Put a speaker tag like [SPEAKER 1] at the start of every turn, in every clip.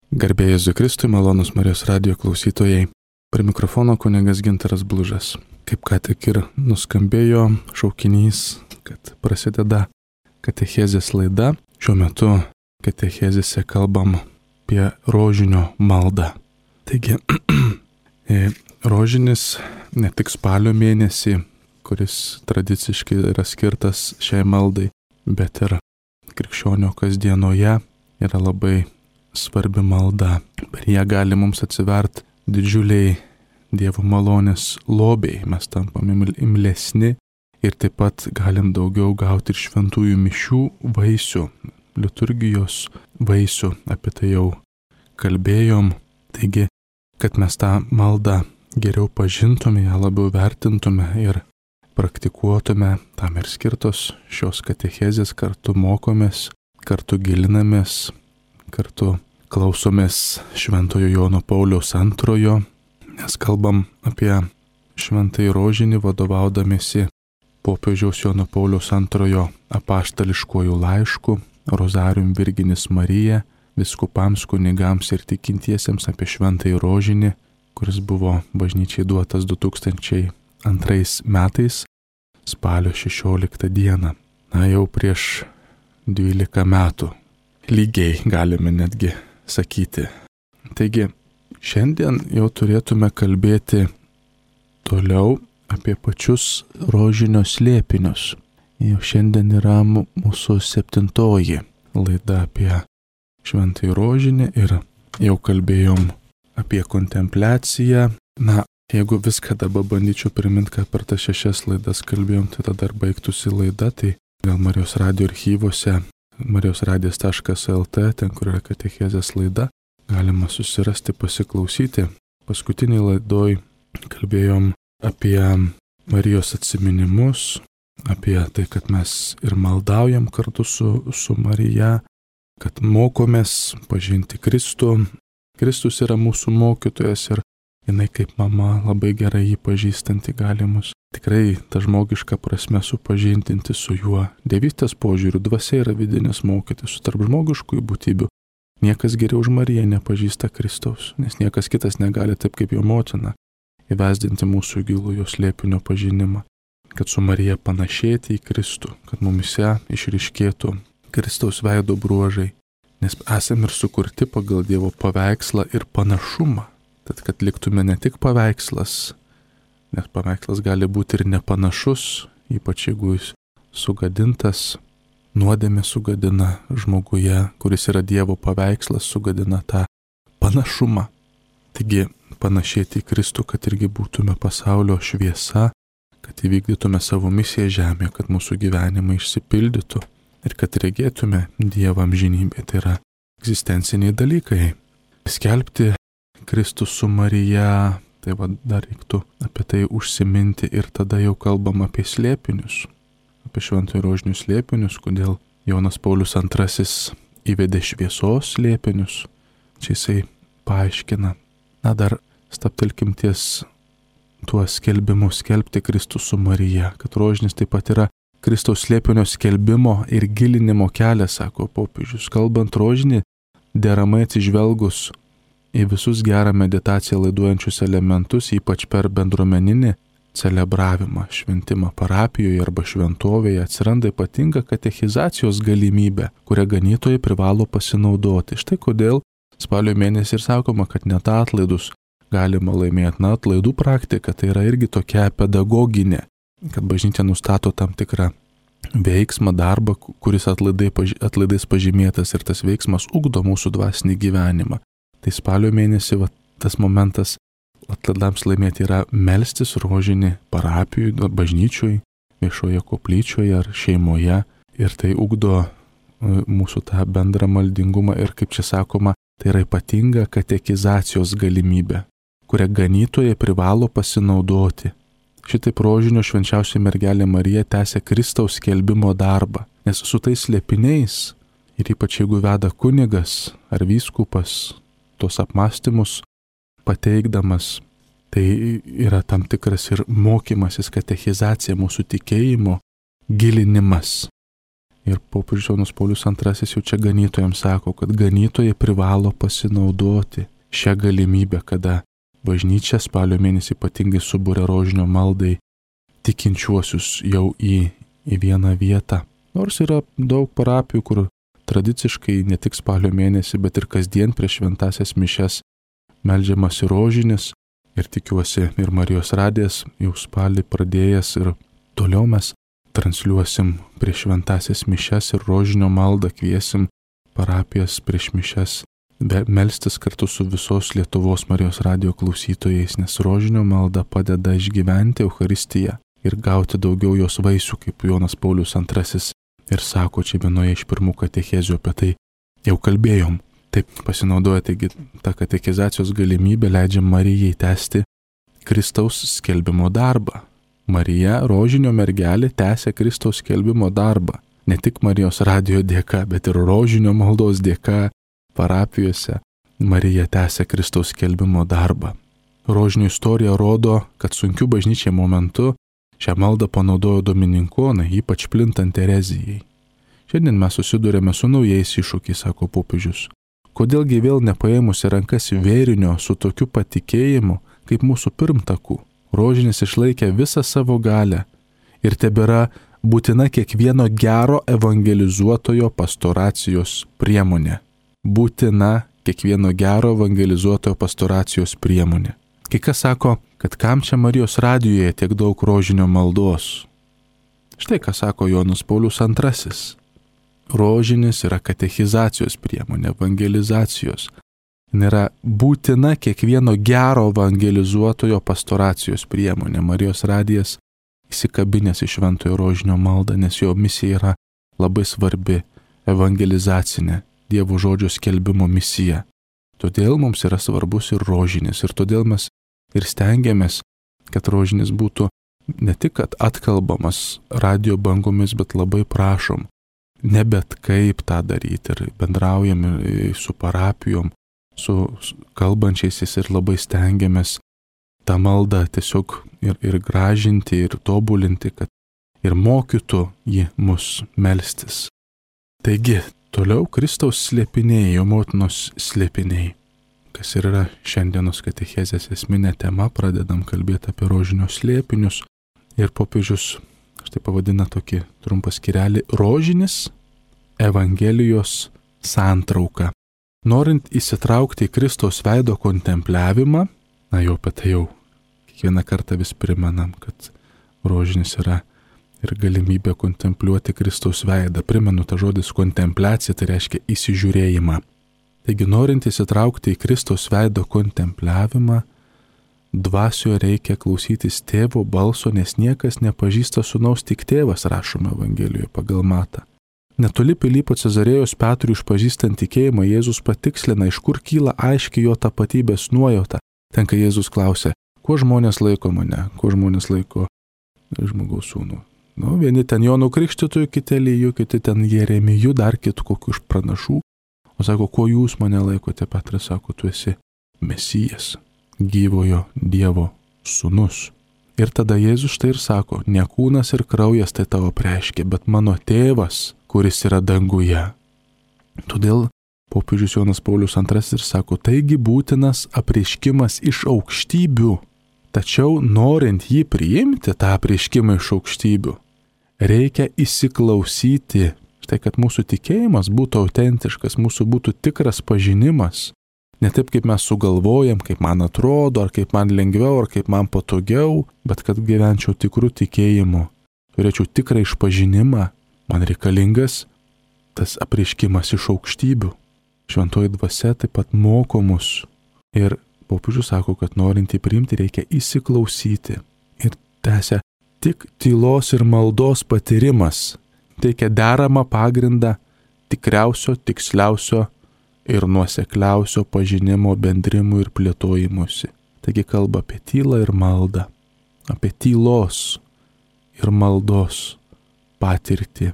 [SPEAKER 1] Garbė Jėzui Kristui, malonūs Marijos radijo klausytojai. Prie mikrofono kunigas Gintaras Blužas. Kaip ką tik ir nuskambėjo šaukinys, kad prasideda katechezės laida. Šiuo metu katechezėse kalbam apie rožinio maldą. Taigi, rožinis ne tik spalio mėnesį, kuris tradiciškai yra skirtas šiai maldai, bet ir krikščionio kasdienoje yra labai svarbi malda. Per ją gali mums atsivert didžiuliai Dievo malonės lobiai. Mes tampame imlesni ir taip pat galim daugiau gauti ir šventųjų mišių vaisių, liturgijos vaisių. Apie tai jau kalbėjom. Taigi, kad mes tą maldą geriau pažintume, ją labiau vertintume ir praktikuotume, tam ir skirtos šios katechezės, kartu mokomės, kartu gilinamės, kartu klausomės Šventojo Jono Pauliaus II, nes kalbam apie šventąjį rožinį vadovaudamiesi popiežiaus Jono Pauliaus II apaštališkuoju laišku Rozarium Virginis Marija vyskupams, kunigams ir tikintiesiems apie šventąjį rožinį, kuris buvo bažnyčiai duotas 2002 metais spalio 16 dieną. Jau prieš 12 metų. Lygiai galime netgi sakyti. Taigi, šiandien jau turėtume kalbėti toliau apie pačius rožinio slėpinius. Jau šiandien yra mūsų 7. laida apie šventąjį rožinį ir jau kalbėjom apie kontempliaciją. Jeigu viską dabar bandyčiau priminti, ką per tas 6 laidas kalbėjom, tai tada dar baigtųsi laida, tai gal Marijos radijo archyvose marijosradijas.lt, ten kur yra katechezės laida, galima susirasti, pasiklausyti. Paskutiniai laidoj kalbėjom apie Marijos atsiminimus, apie tai, kad mes ir maldaujam kartu su Marija, kad mokomės pažinti Kristų. Kristus yra mūsų mokytojas ir jinai kaip mama labai gerai jį pažįstanti gali mus tikrai tą žmogišką prasme supažindinti su juo. Dievystės požiūriu dvasia yra vidinis mokytis, su tarp žmogiškųjų būtybių. Niekas geriau už Mariją nepažįsta Kristaus, nes niekas kitas negali taip kaip jo motina įvesdinti mūsų gilų jos slėpinio pažinimą, kad su Marija panašėti į Kristų, kad mumise išryškėtų Kristaus veido bruožai, nes esame ir sukurti pagal Dievo paveikslą ir panašumą. Tad, kad liktume ne tik paveikslas, nes paveikslas gali būti ir nepanašus, ypač jeigu jis sugadintas, nuodėmė sugadina žmoguje, kuris yra Dievo paveikslas, sugadina tą panašumą. Taigi, panašėti į Kristų, kad irgi būtume pasaulio šviesa, kad įvykdytume savo misiją žemėje, kad mūsų gyvenimai išsipildytų ir kad regėtume Dievą amžinybę. Tai yra egzistenciniai dalykai. Skelbti Kristus su Marija, tai dar reiktų apie tai užsiminti ir tada jau kalbam apie slėpinius, apie šventojo rožinio slėpinius, kodėl Jonas Paulius II įvedė šviesos slėpinius. Čia jisai paaiškina. Dar stabtelkim ties tuo skelbimu skelbti Kristus su Marija, kad rožinis taip pat yra Kristaus slėpinio skelbimo ir gilinimo kelias, sako popiežius. Kalbant rožinį, deramai atsižvelgus į visus gerą meditaciją laiduojančius elementus, ypač per bendruomeninį celebravimą, šventimą parapijoje arba šventovėje, atsiranda ypatinga katechizacijos galimybė, kurią ganytojai privalo pasinaudoti. Štai kodėl spalio mėnesį ir sakoma, kad net atlaidus galima laimėti. Atlaidų praktika tai yra irgi tokia pedagoginė, kad bažnyčia nustato tam tikrą veiksmą, darbą, kuris atlaidais pažymėtas ir tas veiksmas ugdo mūsų dvasinį gyvenimą. Tai spalio mėnesį tas momentas atlaidams laimėti yra melstis rožinį parapijų, bažnyčioj, viešoje koplyčioje ar šeimoje. Ir tai ugdo mūsų tą bendrą maldingumą ir, kaip čia sakoma, tai yra ypatinga katekizacijos galimybė, kurią ganytojai privalo pasinaudoti. Šitaip rožinio švenčiausia mergelė Marija tęsia Kristaus skelbimo darbą, nes su tais slėpiniais ir ypač jeigu veda kunigas ar vyskupas tos apmąstymus pateikdamas, tai yra tam tikras ir mokymasis, katechizacija, mūsų tikėjimo gilinimas. Ir popiežius Jonas Paulius II jau čia ganytojams sako, kad ganytojai privalo pasinaudoti šią galimybę, kada bažnyčia spalio mėnesį ypatingai subūrė rožinio maldai tikinčiuosius jau į vieną vietą. Nors yra daug parapijų, kur tradiciškai ne tik spalio mėnesį, bet ir kasdien prieš šventąsias mišias meldžiamasi rožinis. Ir tikiuosi ir Marijos radijas jau spalį pradėjęs ir toliau mes transliuosim prieš šventąsias mišias ir rožinio maldą, kviesim parapijas prieš mišias melstis kartu su visos Lietuvos Marijos radijo klausytojais, nes rožinio malda padeda išgyventi Eucharistiją ir gauti daugiau jos vaisių, kaip Jonas Paulius II ir sako čia vienoje iš pirmų katechezių, apie tai jau kalbėjom. Taip pasinaudoja, taigi ta katekizacijos galimybė leidžia Marijai tęsti Kristaus skelbimo darbą. Marija, rožinio mergelė, tęsia Kristaus skelbimo darbą. Ne tik Marijos radijo dėka, bet ir rožinio maldos dėka parapijose Marija tęsia Kristaus skelbimo darbą. Rožinio istorija rodo, kad sunkiu bažnyčiai momentu šią maldą panaudojo dominikonai, ypač plintant erezijai. Šiandien mes susidurėme su naujais iššūkiais, sako popiežius. Kodėlgi vėl nepaėmus į rankas vėrinio su tokiu patikėjimu, kaip mūsų pirmtakų? Rožinis išlaikė visą savo galę ir tebėra būtina kiekvieno gero evangelizuotojo pastoracijos priemonė. Būtina kiekvieno gero evangelizuotojo pastoracijos priemonė. Kai kas sako, kad kam čia Marijos radijoje tiek daug rožinio maldos? Štai ką sako Jonas Paulius II. Rožinis yra katechizacijos priemonė, evangelizacijos. Jis yra būtina kiekvieno gero evangelizuotojo pastoracijos priemonė. Marijos radijas įsikabinęs į šventojo rožinio maldą, nes jo misija yra labai svarbi, evangelizacinė, Dievo žodžio skelbimo misija. Todėl mums yra svarbus ir rožinis, ir todėl mes ir stengiamės, kad rožinis būtų ne tik atkalbamas radio bangomis, bet labai prašom. Ne bet kaip tą daryti ir bendraujam su parapijom, su kalbančiaisiais ir labai stengiamės tą maldą tiesiog ir gražinti, ir tobulinti, kad ir mokytų jį mus melstis. Taigi, toliau Kristaus slėpiniai, jo motinos slėpiniai, kas ir yra šiandienos katechezės esminė tema, pradedam kalbėti apie rožinio slėpinius ir popiežius štai pavadina tokį trumpą skyrelį rožinis Evangelijos santrauka. Norint įsitraukti į Kristaus veido kontempliavimą, jau apie tai jau kiekvieną kartą vis primenam, kad rožinis yra ir galimybė kontempliuoti Kristaus veidą. Primenu, ta žodis kontempliacija, tai reiškia įsižiūrėjimą. Taigi, norint įsitraukti į Kristaus veido kontempliavimą, dvasioje reikia klausytis tėvo balso, nes niekas nepažįsta sūnaus, tik tėvas, rašoma Evangelijoje pagal Matą. Netoli Pilypo Cezarėjos Petrui išpažįstant tikėjimą, Jėzus patikslina, iš kur kyla aiškiai jo tapatybės nuojauta. Ten, kai Jėzus klausia, kuo žmonės laiko mane, kuo žmonės laiko žmogaus sūnų. Vieni ten Jonu Krikštytoju, kiti Eliju, kiti ten Jeremiju, dar kitų kokių iš pranašų. O sako, kuo jūs mane laikote? Petras sako, tu esi Mesijas, gyvojo Dievo sūnus. Ir tada Jėzus štai ir sako, ne kūnas ir kraujas tai tavo preiškia, bet mano tėvas, kuris yra danguje. Todėl popiežius Jonas Paulius II ir sako, taigi būtinas apreiškimas iš aukštybių. Tačiau norint jį priimti, tą apreiškimą iš aukštybių, reikia įsiklausyti, štai kad mūsų tikėjimas būtų autentiškas, mūsų būtų tikras pažinimas. Ne taip, kaip mes sugalvojam, kaip man atrodo, ar kaip man lengviau, ar kaip man patogiau, bet kad gyvenčiau tikrų tikėjimu, turėčiau tikrą išpažinimą, man reikalingas tas apreiškimas iš aukštybių. Šventoji dvasia taip pat moko mus. Ir popiežius sako, kad norint jį priimti, reikia įsiklausyti. Ir tęsia, tik tylos ir maldos patyrimas teikia deramą pagrindą tikriausio, tiksliausio ir nuosekliausio pažinimo bendrimui ir plėtojimusi. Taigi kalba apie tylą ir maldą, apie tylos ir maldos patirtį.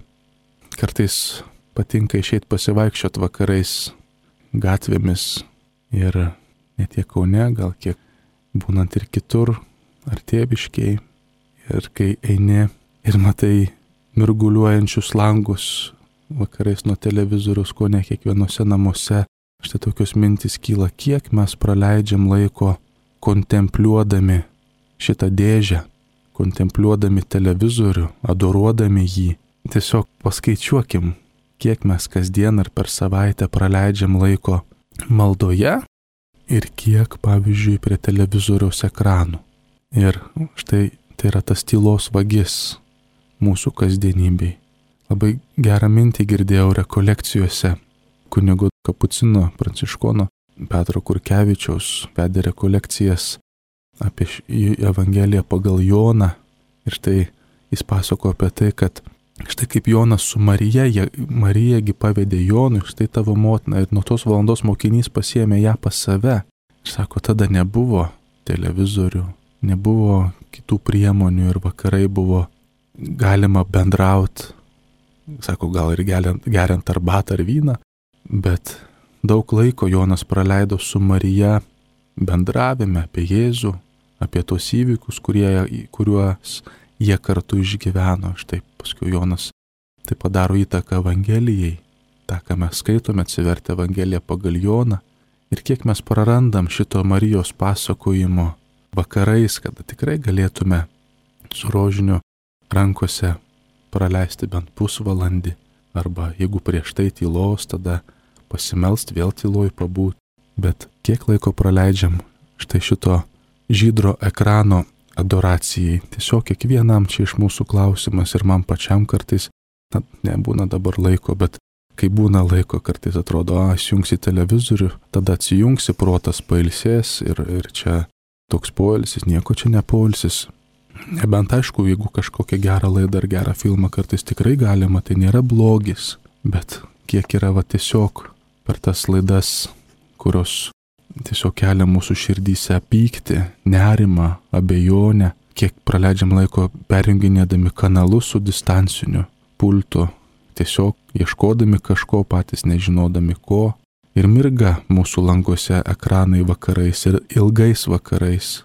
[SPEAKER 1] Kartais patinka išeiti pasivaikščioti vakarais gatvėmis ir ne tiek Kaune, gal kiek būnant ir kitur, ar Tėviškėj. Ir kai eini ir matai mirguliuojančius langus vakarais nuo televizoriaus, ko ne kiekvienose namuose. Štai tokios mintys kyla, kiek mes praleidžiam laiko kontempliuodami šitą dėžę, kontempliuodami televizorių, adoruodami jį. Tiesiog paskaičiuokim, kiek mes kasdien ar per savaitę praleidžiam laiko maldoje ir kiek, pavyzdžiui, prie televizoriaus ekranų. Ir štai tai yra tas tylos vagis mūsų kasdienybei. Labai gerą mintį girdėjau rekolekcijose. Kunigo Kapucino pranciškono Petro Kurkevičiaus vedė rekolekcijas apie Evangeliją pagal Joną. Ir štai jis pasako apie tai, kad štai kaip Jonas su Marijagi pavedė Jonui, štai tavo motina, ir nuo tos valandos mokinys pasiėmė ją pas save. Ir sako, tada nebuvo televizorių, nebuvo kitų priemonių ir vakarai buvo galima bendrauti. Sako, gal ir geriant arbatą ar vyną, bet daug laiko Jonas praleido su Marija bendravime apie Jėzų, apie tos įvykius, kuriuos jie kartu išgyveno. Štai paskui Jonas tai padaro įtaką Evangelijai, tą, ką mes skaitome, atsivertę Evangeliją pagal Joną. Ir kiek mes prarandam šito Marijos pasakojimo vakarais, kada tikrai galėtume su rožiniu rankose praleisti bent pusvalandį, arba jeigu prieš tai tylos, tada pasimelst, vėl tyloj pabūt. Bet kiek laiko praleidžiam štai šito žydro ekrano adoracijai. Tiesiog kiekvienam čia iš mūsų klausimas ir man pačiam kartais, nebūna dabar laiko, bet kai būna laiko, kartais atrodo, įsijungsi televizorių, tada atsijungsi, protas pailsės ir čia toks poilsis, nieko čia nepoilsis. Nebent aišku, jeigu kažkokią gerą laidą ar gerą filmą kartais tikrai galima, tai nėra blogis, bet kiek yra tiesiog per tas laidas, kurios tiesiog kelia mūsų širdyse pyktį, nerimą, abejonę, kiek praleidžiam laiko perjunginėdami kanalus su distanciniu pultu, tiesiog ieškodami kažko, patys nežinodami ko, ir mirga mūsų languose ekranai vakarais ir ilgais vakarais.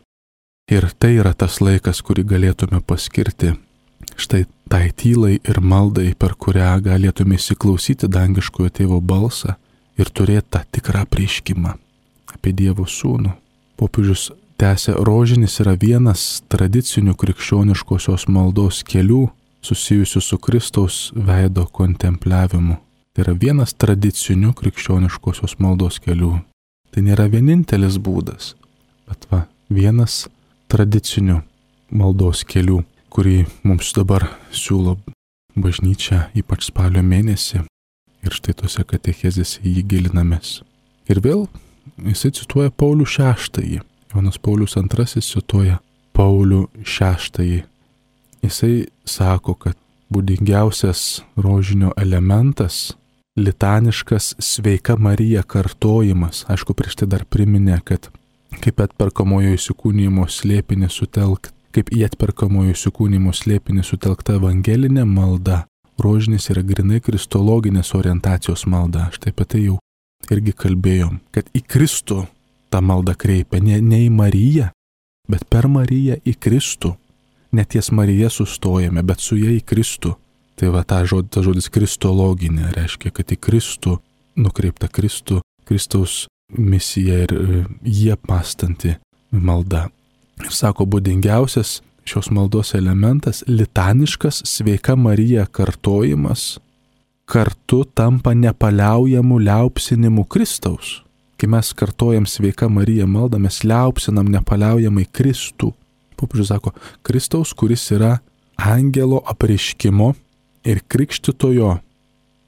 [SPEAKER 1] Ir tai yra tas laikas, kurį galėtume paskirti štai tai tylai ir maldai, per kurią galėtume įsiklausyti dangiškojo tėvo balsą ir turėti tą tikrą apreiškimą apie Dievo sūnų. Popiežius tęsia, rožinis yra vienas tradicinių krikščioniškosios maldos kelių susijusių su Kristaus veido kontempliavimu. Tai yra vienas tradicinių krikščioniškosios maldos kelių. Tai nėra vienintelis būdas, bet vienas tradicinių maldos kelių, kurį mums dabar siūlo bažnyčia, ypač spalio mėnesį. Ir štai tose katechezėse jį gilinamės. Ir vėl jisai cituoja Paulių VI. Jonas Paulius II cituoja Paulių VI. Jisai sako, kad būdingiausias rožinio elementas — litaniškas sveika Marija kartojimas. Aišku, prieš tai dar priminė, kad kaip atperkamojo įsikūnijimo slėpinį sutelkta evangelinė malda, rožinis yra grinai kristologinės orientacijos malda. Štai apie tai jau irgi kalbėjom, kad į Kristų ta malda kreipia, ne į Mariją, bet per Mariją į Kristų. Ne ties Marija sustojame, bet su ja į Kristų. Tai ta žodis kristologinė reiškia, kad į Kristų nukreipta Kristaus misija ir jie pastanti malda. Ir sako, būdingiausias šios maldos elementas — litaniškas sveika Marija kartojimas kartu tampa nepaliaujamu liaupsinimu Kristaus. Kai mes kartojam sveika Marija maldą, mes liaupsinam nepaliaujamai Kristų. Popiežius sako, Kristaus, kuris yra angelo apreiškimo ir krikštytojo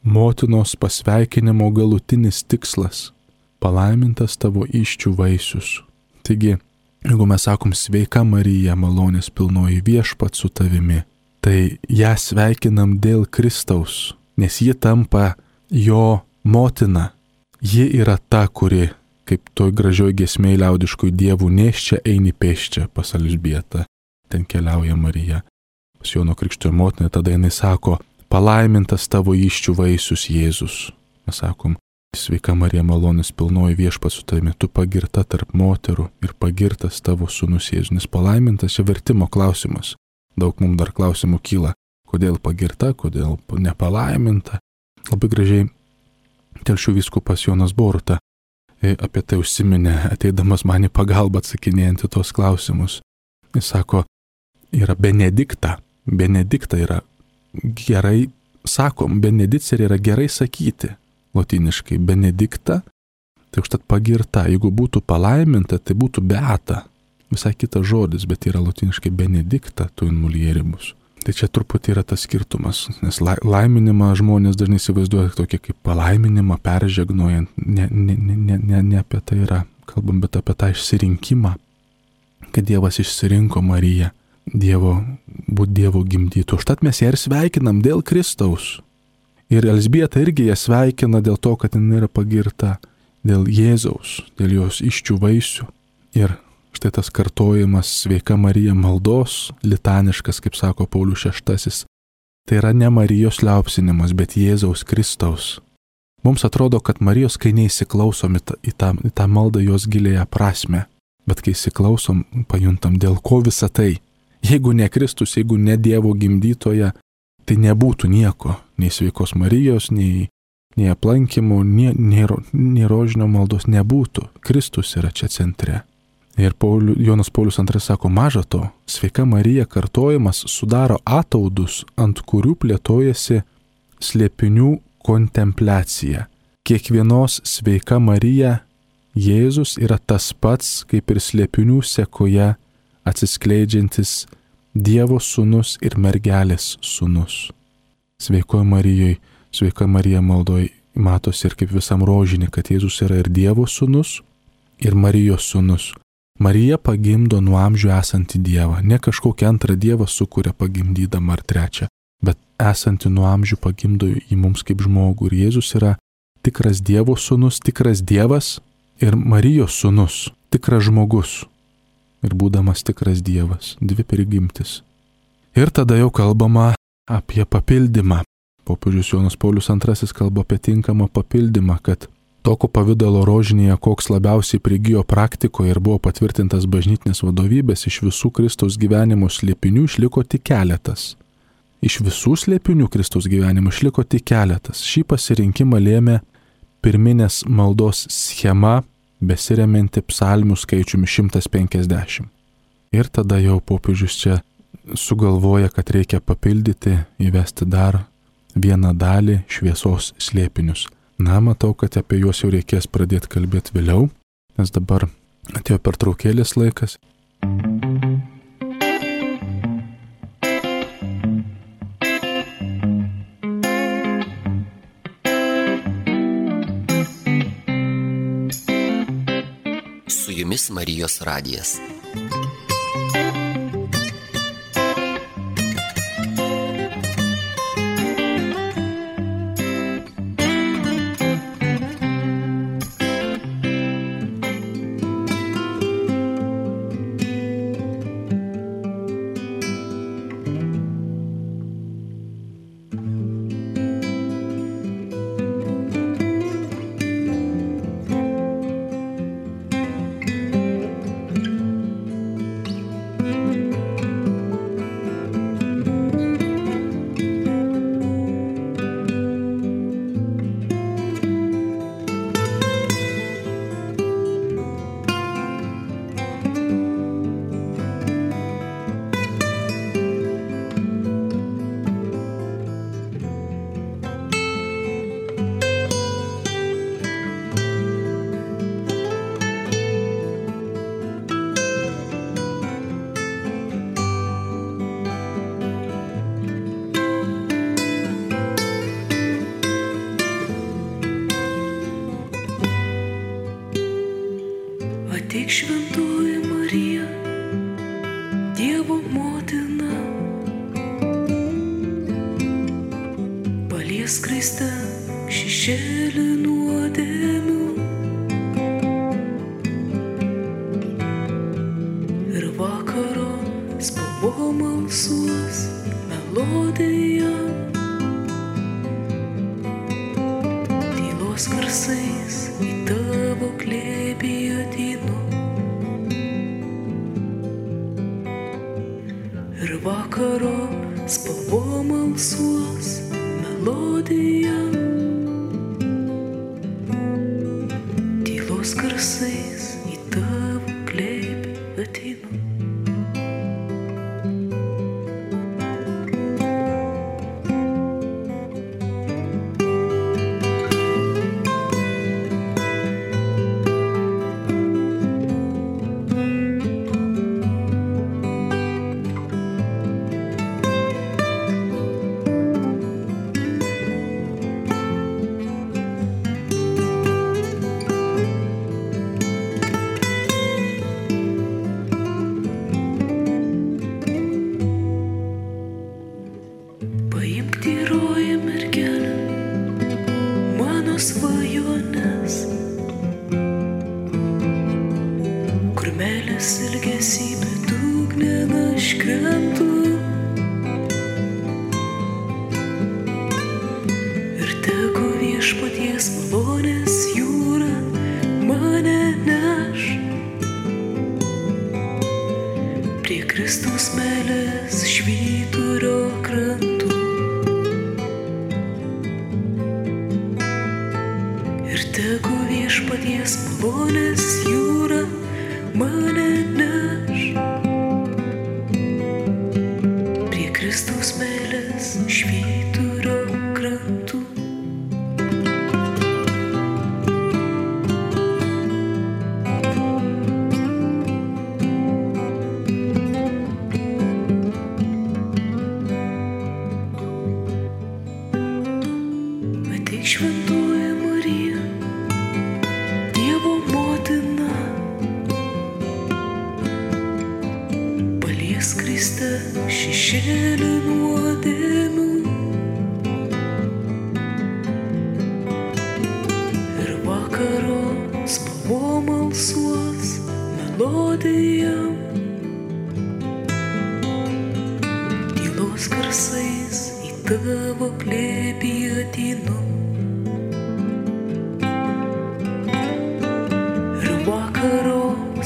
[SPEAKER 1] motinos pasveikinimo galutinis tikslas — palaimintas tavo įsčių vaisius. Taigi, jeigu mes sakom sveika Marija, malonės pilnoji, viešpats su tavimi, tai ją sveikinam dėl Kristaus, nes ji tampa jo motina. Ji yra ta, kuri, kaip toj gražioj giesmėj liaudiškoj, dievų nėščia eini pėsčia pas Elžbietą. Ten keliauja Marija pas Jono Krikštytojo motiną, tada jinai sako, palaimintas tavo įsčių vaisius Jėzus. Mes sakom, sveika Marija, malonės pilnoji, viešpats su tavimi, tu pagirta tarp moterų ir pagirtas tavo sūnus Jėzus. Nes palaimintas čia vertimo klausimas. Daug mums dar klausimų kyla. Kodėl pagirta, kodėl nepalaiminta. Labai gražiai Telšių vyskupas Jonas Boruta apie tai užsiminė, ateidamas man į pagalbą atsakinėjant į tos klausimus. Jis sako, yra benedikta. Benedikta yra gerai, sakom, benedicerė yra gerai sakyti. Lotyniškai benedikta, tai užtat pagirta. Jeigu būtų palaiminta, tai būtų beata. Visai kitas žodis, bet yra lotyniškai benedikta tu in mulieribus. Tai čia truputį yra tas skirtumas, nes laiminimą žmonės dažnai įsivaizduoja tokį kaip palaiminimą, peržegnojant. Ne apie tai yra kalbam, bet apie tą išsirinkimą, kad Dievas išsirinko Mariją, būt Dievo gimdytų. Užtat mes ją ir sveikinam dėl Kristaus. Ir Elzbieta irgi ją sveikina dėl to, kad jinai yra pagirta dėl Jėzaus, dėl jos iščių vaisių. Ir štai tas kartojimas sveika Marija maldos, litaniškas, kaip sako Paulius VI, tai yra ne Marijos liaupsinimas, bet Jėzaus Kristaus. Mums atrodo, kad Marijos, kai neįsiklausom į tą maldą jos gilėją prasme, bet kai įsiklausom, pajuntam, dėl ko visa tai. Jeigu ne Kristus, jeigu ne Dievo gimdytoja, tai nebūtų nieko, nei sveikos Marijos, nei aplankymų, nei rožinio maldos nebūtų. Kristus yra čia centre. Ir Jonas Paulius II sako, maža to, sveika Marija kartojimas sudaro ataudus, ant kurių plėtojasi slėpinių kontempliacija. Kiekvienos sveika Marija Jėzus yra tas pats, kaip ir slėpinių sekoje atsiskleidžiantis Dievo sūnus ir mergelės sūnus. Sveikoje Marijoje, sveika Marija maldoje matosi ir kaip visam rožinį, kad Jėzus yra ir Dievo sūnus, ir Marijos sūnus. Marija pagimdo nuo amžių esantį Dievą, ne kažkokią antrą Dievą sukuria pagimdydama ar trečią, bet esantį nuo amžių pagimdo į mums kaip žmogų. Ir Jėzus yra tikras Dievo sūnus, tikras Dievas ir Marijos sūnus, tikras žmogus. Ir būdamas tikras Dievas, dvi prigimtis. Ir tada jau kalbama apie papildymą. Popiežius Jonas Paulius II kalba apie tinkamą papildymą, kad tokio pavidalo rožinėje, koks labiausiai prigijo praktikoje ir buvo patvirtintas bažnytinės vadovybės, iš visų Kristaus gyvenimo slėpinių išliko tik keletas. Iš visų slėpinių Kristaus gyvenimo išliko tik keletas. Šį pasirinkimą lėmė pirminės maldos schema, besiremianti psalmių skaičiumi 150. Ir tada jau popiežius čia sugalvoja, kad reikia papildyti, įvesti dar vieną dalį šviesos slėpinius. Na, matau, kad apie juos jau reikės pradėti kalbėti vėliau, nes dabar atėjo pertraukėlės laikas.
[SPEAKER 2] Su jumis Marijos radijas.
[SPEAKER 3] Ateik šventoji Marija, Dievo motina, paliesk Kristą šešėlį nuodėmių ir vakaro spalvom alsuos melodija, tylos garsais į tavo glėbį ateinu. Ir vakaro spalvom alsuos melodija. Manęs ilgesį bedugnen aš krentu ir tegu viešpaties malonės jūra mane neš prie Kristaus meilės švyturio krantų. Ir tegu viešpaties malonės jūra mane neš prie Kristaus meilės švyturio krantų. Ateik šventoji Marija, Dievo motina, palies Kristą šešėlį nuodėmių ir vakaro spalvom alsuos melodija. Tylos garsais į tavo glėbį ateinu ir vakaro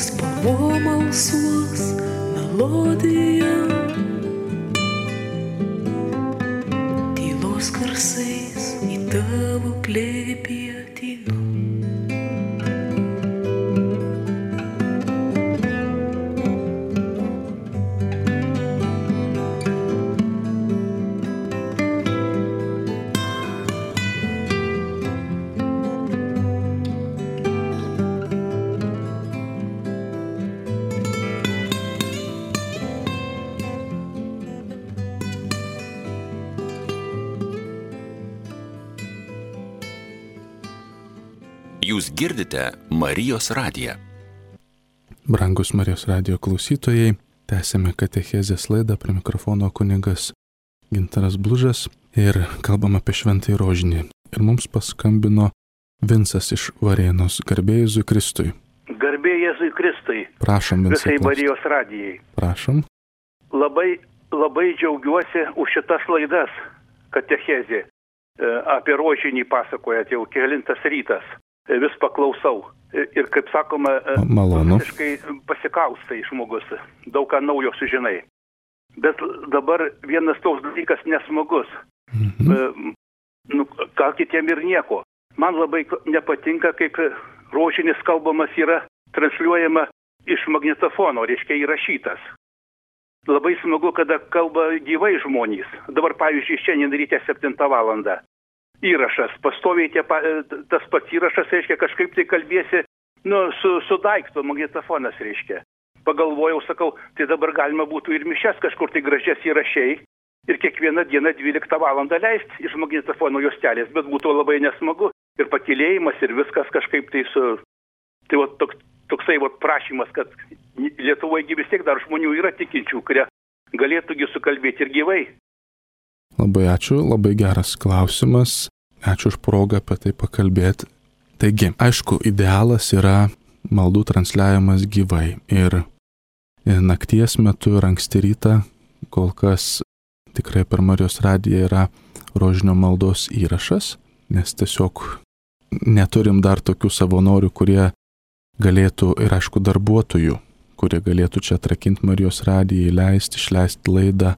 [SPEAKER 3] spalvom alsuos melodija. Tylos garsais į tavo glėbį ateinu.
[SPEAKER 2] Jūs girdite Marijos radiją.
[SPEAKER 1] Brangus Marijos radijo klausytojai, tęsėme katechezės laidą, prie mikrofono kunigas Gintaras Blužas ir kalbam apie šventąjį rožinį. Ir mums paskambino Vincas iš Varėnos. Garbė Jėzui Kristui.
[SPEAKER 4] Garbė Jėzui Kristui.
[SPEAKER 1] Prašom, Vincai.
[SPEAKER 4] Visai Marijos radijai.
[SPEAKER 1] Prašom.
[SPEAKER 4] Labai džiaugiuosi už šitas laidas, katechezė. Apie rožinį pasakojat jau kelintas rytas. Vis paklausau. Ir kaip sakoma,
[SPEAKER 1] malonu.
[SPEAKER 4] visiškai pasikaustai žmogus. Daug ką naujo sužinai. Bet dabar vienas toks dalykas nesmagus. Gal kitiem ir nieko. Man labai nepatinka, kaip rožinis kalbamas yra transliuojama iš magnetofono, reiškia įrašytas. Labai smagu, kada kalba gyvai žmonės. Dabar, pavyzdžiui, šiandien ryte 7 valandą. Įrašas, pastoviai tas pats įrašas, reiškia, kažkaip tai kalbėsi, su daikto magnetofonas, reiškia. Pagalvojau, sakau, tai dabar galima būtų ir mišes kažkur tai gražias įrašiai ir kiekvieną dieną 12 valandą leisti iš magnetofono juostelės, bet būtų labai nesmagu ir pakylėjimas ir viskas kažkaip tai Tai toksai prašymas, kad Lietuvoje vis tiek dar žmonių yra tikinčių, kurie galėtųgi sukalbėti ir gyvai.
[SPEAKER 1] Labai ačiū, labai geras klausimas. Ačiū už progą apie tai pakalbėti. Taigi, aišku, idealas yra maldų transliavimas gyvai. Ir nakties metu ir anksti rytą, kol kas tikrai per Marijos radiją yra rožinio maldos įrašas, nes tiesiog neturim dar tokių savanorių, kurie galėtų, ir aišku darbuotojų, kurie galėtų čia atrakinti Marijos radiją, įleisti, išleisti laidą.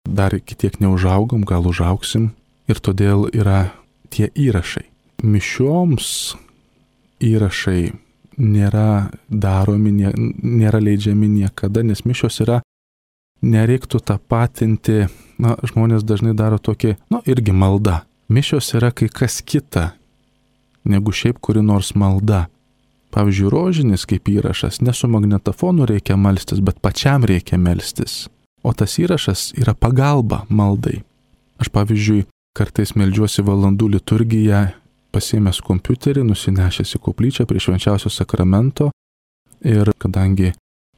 [SPEAKER 1] Dar iki tiek neužaugom, gal užaugsim ir todėl yra tie įrašai. Mišioms įrašai nėra daromi, nėra leidžiami niekada, nes mišios yra, nereiktų tapatinti, žmonės dažnai daro tokį, irgi malda. Mišios yra kai kas kita, negu šiaip kuri nors malda. Pavyzdžiui, rožinis kaip įrašas, ne su magnetofonu reikia melstis, bet pačiam reikia melstis. O tas įrašas yra pagalba maldai. Aš, pavyzdžiui, kartais meldžiuosi valandų liturgiją, pasiėmęs kompiuterį, nusinešęs į koplyčią prie švenčiausio sakramento ir kadangi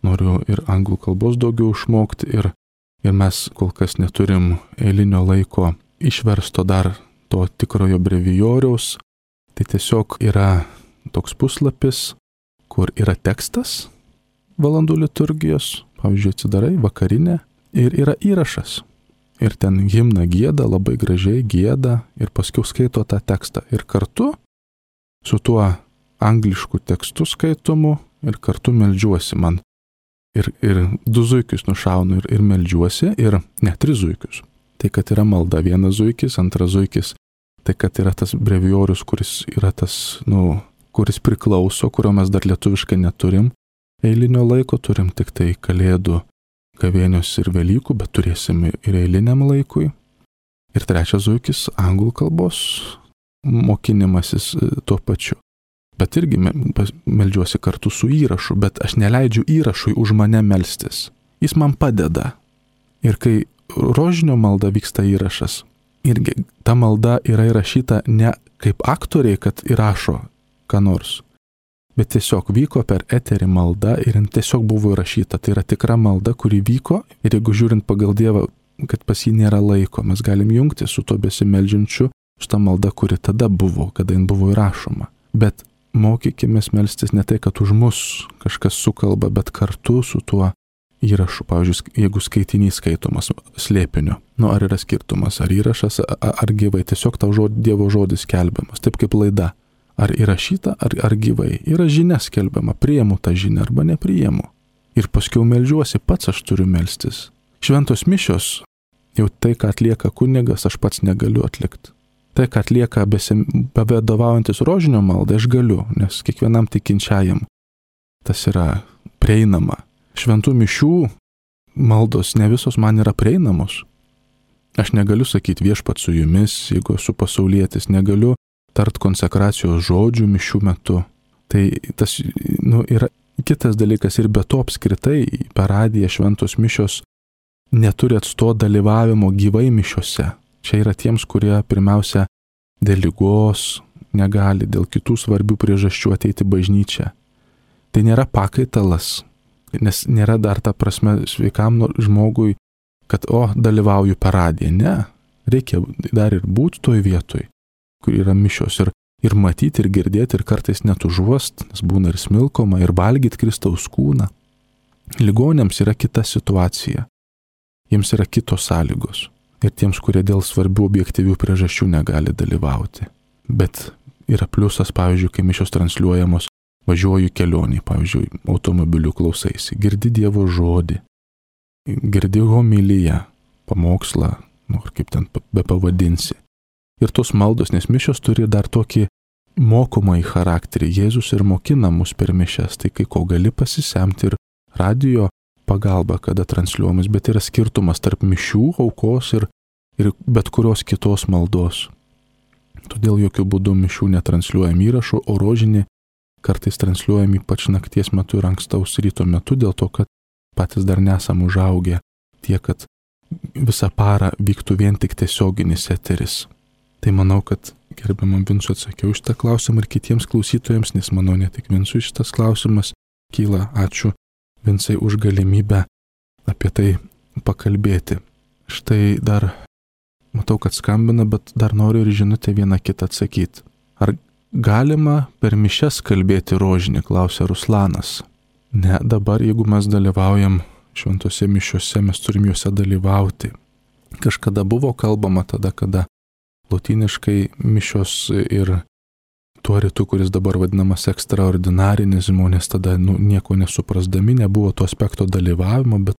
[SPEAKER 1] noriu ir anglų kalbos daugiau išmokti ir mes kol kas neturim eilinio laiko išversto dar to tikrojo brevijoriaus, tai tiesiog yra toks puslapis, kur yra tekstas valandų liturgijos, pavyzdžiui, atsidarai vakarinę ir yra įrašas. Ir ten himną gieda, labai gražiai gieda ir paskui skaito tą tekstą. Ir kartu su tuo anglišku tekstu skaitomu ir kartu meldžiuosi man. Ir 2 zuikius nušaunu ir meldžiuosi, ir ne 3 zuikius. Tai kad yra malda 1 zuikis, 2 zuikis, tai kad yra tas brevijorius, kuris yra tas, kuris priklauso, kurio mes dar lietuviškai neturim. Eilinio laiko turim tik tai Kalėdų, Gavėnios ir Velykų, bet turėsim ir eiliniam laikui. Ir 3 zuikis anglų kalbos mokinimasis tuo pačiu. Bet irgi meldžiuosi kartu su įrašu, bet aš neleidžiu įrašui už mane melstis. Jis man padeda. Ir kai rožinio malda vyksta įrašas, irgi ta malda yra įrašyta ne kaip aktoriai, kad įrašo ką nors, bet tiesiog vyko per eterį malda ir tiesiog buvo įrašyta. Tai yra tikra malda, kuri vyko, ir jeigu žiūrint pagal Dievą, kad pas jį nėra laiko, mes galim jungti su to besimeldžiančiu, su ta malda, kuri tada buvo, kada jin buvo įrašoma. Bet mokykime melstis ne tai, kad už mus kažkas sukalba, bet kartu su tuo įrašu. Pavyzdžiui, jeigu skaitinys skaitomas slėpinio, ar yra skirtumas, ar įrašas, ar gyvai, tiesiog tau Dievo žodis skelbiamas, taip kaip laida. Ar įrašyta, ar gyvai. Yra žinia skelbiama, priimu tą žinią arba nepriimu. Ir paskui meldžiuosi, pats aš turiu melstis. Šventos mišios, jau tai, ką atlieka kunigas, aš pats negaliu atlikti. Tai, ką atlieka bevadovaujantis rožinio maldai, aš galiu, nes kiekvienam tikinčiajam tas yra prieinama. Šventų mišių maldos ne visos man yra prieinamos. Aš negaliu sakyti viešpat su jumis, jeigu esu pasaulietis, negaliu tart konsekracijos žodžių mišių metu. Tai tas yra kitas dalykas, ir be to apskritai per radiją šventos mišios neturi atsto dalyvavimo gyvai mišiose. Čia yra tiems, kurie pirmiausia dėl ligos negali, dėl kitų svarbių priežasčių ateiti bažnyčią. Tai nėra pakaitalas, nes nėra dar ta prasme sveikam žmogui, kad dalyvauju per radiją. Ne, reikia dar ir būti toj vietoj, kur yra mišios, ir matyti, ir girdėti, ir kartais net užuost, nes būna ir smilkoma, ir valgyti Kristaus kūną. Ligonėms yra kita situacija, jiems yra kitos sąlygos, ir tiems, kurie dėl svarbių objektyvių priežasčių negali dalyvauti. Bet yra pliusas, pavyzdžiui, kai mišios transliuojamos, važiuoju kelionį, pavyzdžiui, automobiliu klausaisi, girdi Dievo žodį, girdi homiliją, pamokslą, ar kaip ten bepavadinsi. Ir tos maldos, nes mišios turi dar tokį mokomąjį charakterį. Jėzus ir mokina mus per mišias, tai kai ko gali pasisemti ir radijo pagalba, kada transliuojamas, bet yra skirtumas tarp mišių, aukos ir bet kurios kitos maldos. Todėl jokių būdų mišių netransliuojam įrašų, o rožinį kartais transliuojam ypač nakties metu ir ankstaus ryto metu, dėl to, kad patys dar nesam užaugę tiek, kad visą parą vyktų vien tik tiesioginis eteris. Tai manau, kad gerbiamam Vincui atsakiau šitą klausimą ir kitiems klausytojams, nes manau, ne tik Vincui šitas klausimas kyla. Ačiū Vincai už galimybę apie tai pakalbėti. Štai dar matau, kad skambina, bet dar noriu ir žinutę vieną kitą atsakyti. Ar galima per mišias kalbėti rožinį, klausia Ruslanas. Ne, dabar jeigu mes dalyvaujam šventose mišiuose, mes turim juose dalyvauti. Kažkada buvo kalbama tada, kada lotyniškai mišios ir tuo rytu, kuris dabar vadinamas ekstraordinarinis, žmonės tada nieko nesuprasdami, nebuvo to aspekto dalyvavimo, bet,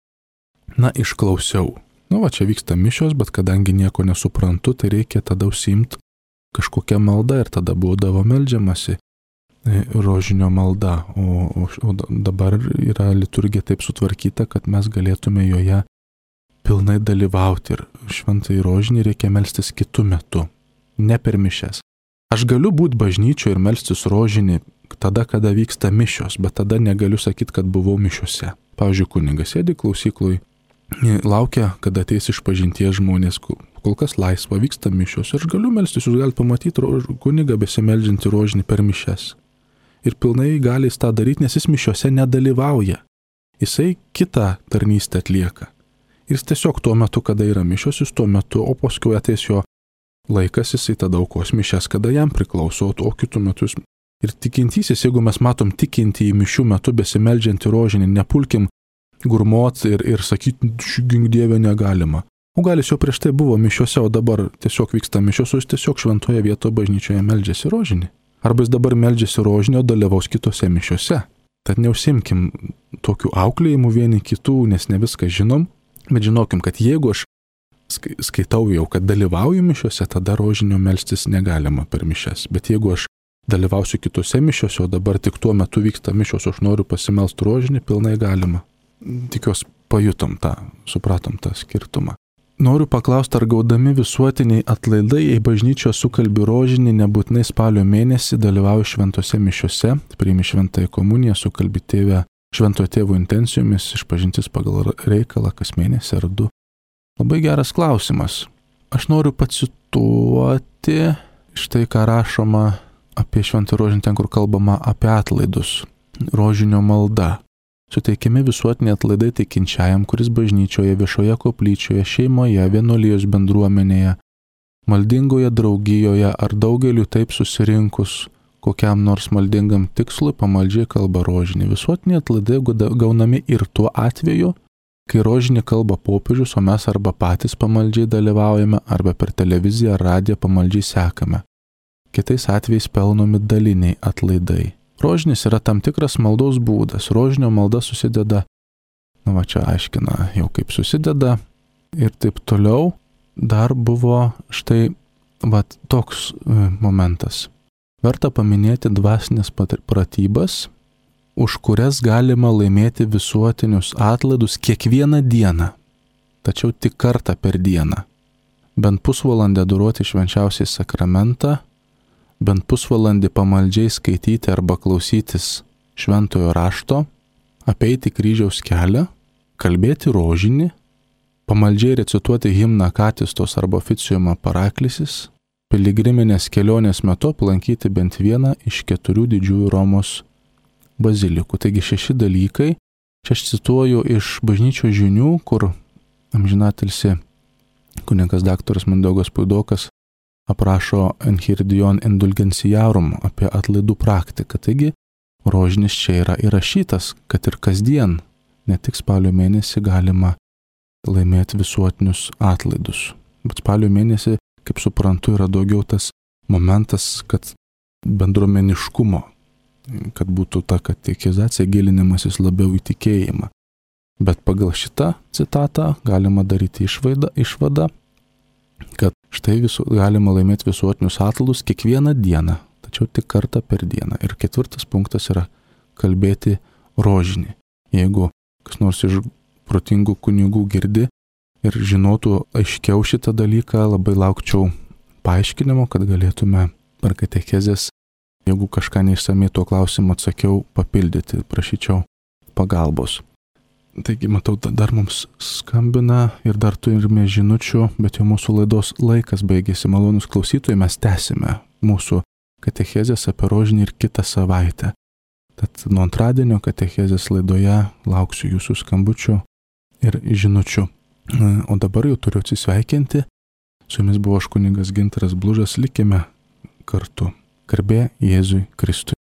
[SPEAKER 1] išklausiau. Čia vyksta mišios, bet kadangi nieko nesuprantu, tai reikia tada užsiimti kažkokią maldą ir tada būdavo meldžiamasi rožinio malda, o dabar yra liturgija taip sutvarkyta, kad mes galėtume joje pilnai dalyvauti ir šventąjį rožinį reikia melstis kitu metu, ne per mišias. Aš galiu būti bažnyčioje ir melstis rožinį tada, kada vyksta mišios, bet tada negaliu sakyti, kad buvau mišiuose. Pavyzdžiui, kunigas sėdi klausykloj, laukia, kada ateis išpažinties žmonės, kol kas laisva, vyksta mišios ir aš galiu melstis, jūs galite pamatyti kunigą besimeldžiantį rožinį per mišias. Ir pilnai gali jis tą daryti, nes jis mišiuose nedalyvauja. Jisai kitą tarnystę atlieka. Ir jis tiesiog tuo metu, kada yra mišios, jis tuo metu, o paskui ateis jo laikas, jisai tada aukos mišias, kada jam priklauso, o kitų metų jis Ir tikintysis, jeigu mes matom tikintį į mišių metu besimeldžiantį rožinį, nepulkim gurmot ir sakyti, gink Dieve negalima. O gal jis jau prieš tai buvo mišiuose, o dabar tiesiog vyksta mišios, o jis tiesiog šventoje vietoje bažnyčioje meldžiasi rožinį. Arba jis dabar meldžiasi rožinį, o dalyvaus kitose mišiuose. Tad neužsimkim tokių auklėjimų vieni kitų, nes ne viską žinom, bet žinokim, kad jeigu aš skaitau jau, kad dalyvauju mišiuose, tada rožinio melstis negalima per mišias. Bet jeigu aš dalyvausiu kitose mišiuose, o dabar tik tuo metu vyksta mišios, aš noriu pasimelsti rožinį, pilnai galima. Tikiuosi pajutom tą, supratom tą skirtumą. Noriu paklausti, ar gaudami visuotiniai atlaidai į bažnyčią sukalbi rožinį, nebūtinai spalio mėnesį dalyvauju šventose mišiuose, priimi šventąją komuniją, sukalbi tėvę šventojo tėvo intencijomis, išpažintis pagal reikalą kas mėnesį ar 2. Labai geras klausimas. Aš noriu pacituoti štai ką rašoma apie šventą rožinį, ten kur kalbama apie atlaidus. Rožinio malda. Suteikiami visuotiniai atlaidai tikinčiajam, kuris bažnyčioje, viešoje koplyčioje, šeimoje, vienuolijos bendruomenėje, maldingoje draugijoje ar daugeliu taip susirinkus kokiam nors maldingam tikslui pamaldžiai kalba rožinį. Visuotiniai atlaidai gaunami ir tuo atveju, kai rožinį kalba popiežius, o mes arba patys pamaldžiai dalyvaujame, arba per televiziją ar radiją pamaldžiai sekame. Kitais atvejais pelnomi daliniai atlaidai. Rožinis yra tam tikras maldos būdas. Rožinio malda susideda, čia aiškina jau kaip susideda ir taip toliau. Dar buvo štai toks momentas. Verta paminėti dvasinės pratybas, už kurias galima laimėti visuotinius atlaidus kiekvieną dieną, tačiau tik kartą per dieną. Bent pusvalandį adoruoti švenčiausiai sakramentą, bent pusvalandį pamaldžiai skaityti arba klausytis šventojo rašto, apeiti kryžiaus kelią, kalbėti rožinį, pamaldžiai recituoti himną Katistos arba oficiumą Paraklisis, piligriminės kelionės metu aplankyti bent vieną iš 4 didžiųjų Romos bazilikų. Taigi 6 dalykai. Čia aš cituoju iš bažnyčios žinių, kur amžinatilsi kunigas daktaras Mindaugas Puidokas aprašo Enchiridion Indulgenciarum apie atlaidų praktiką. Taigi rožinis čia yra įrašytas, kad ir kasdien, ne tik spalio mėnesį galima laimėti visuotinius atlaidus. Bet spalio mėnesį, kaip suprantu, yra daugiau tas momentas, kad bendruomeniškumo, kad būtų ta katekizacija, gilinimasis labiau į tikėjimą. Bet pagal šitą citatą galima daryti išvadą, kad štai galima laimėti visuotinius atlaidus kiekvieną dieną, tačiau tik kartą per dieną. Ir 4 punktas yra kalbėti rožinį. Jeigu kas nors iš protingų kunigų girdi ir žinotų aiškiau šitą dalyką, labai laukčiau paaiškinimo, kad galėtume per katechezės, jeigu kažką neišsamiai tuo klausimu atsakiau, papildyti, prašyčiau pagalbos. Taigi, matau, dar mums skambina ir dar turime žinučių, bet jau mūsų laidos laikas baigėsi. Malonus klausytojai, mes tęsime mūsų katechezės apie rožinį ir kitą savaitę. Tad nuo antradienio katechezės laidoje lauksiu jūsų skambučių ir žinučių. O dabar jau turiu atsisveikinti. Su jumis buvo aš kunigas Gintaras Blužas, likime kartu. Garbė Jėzui Kristui.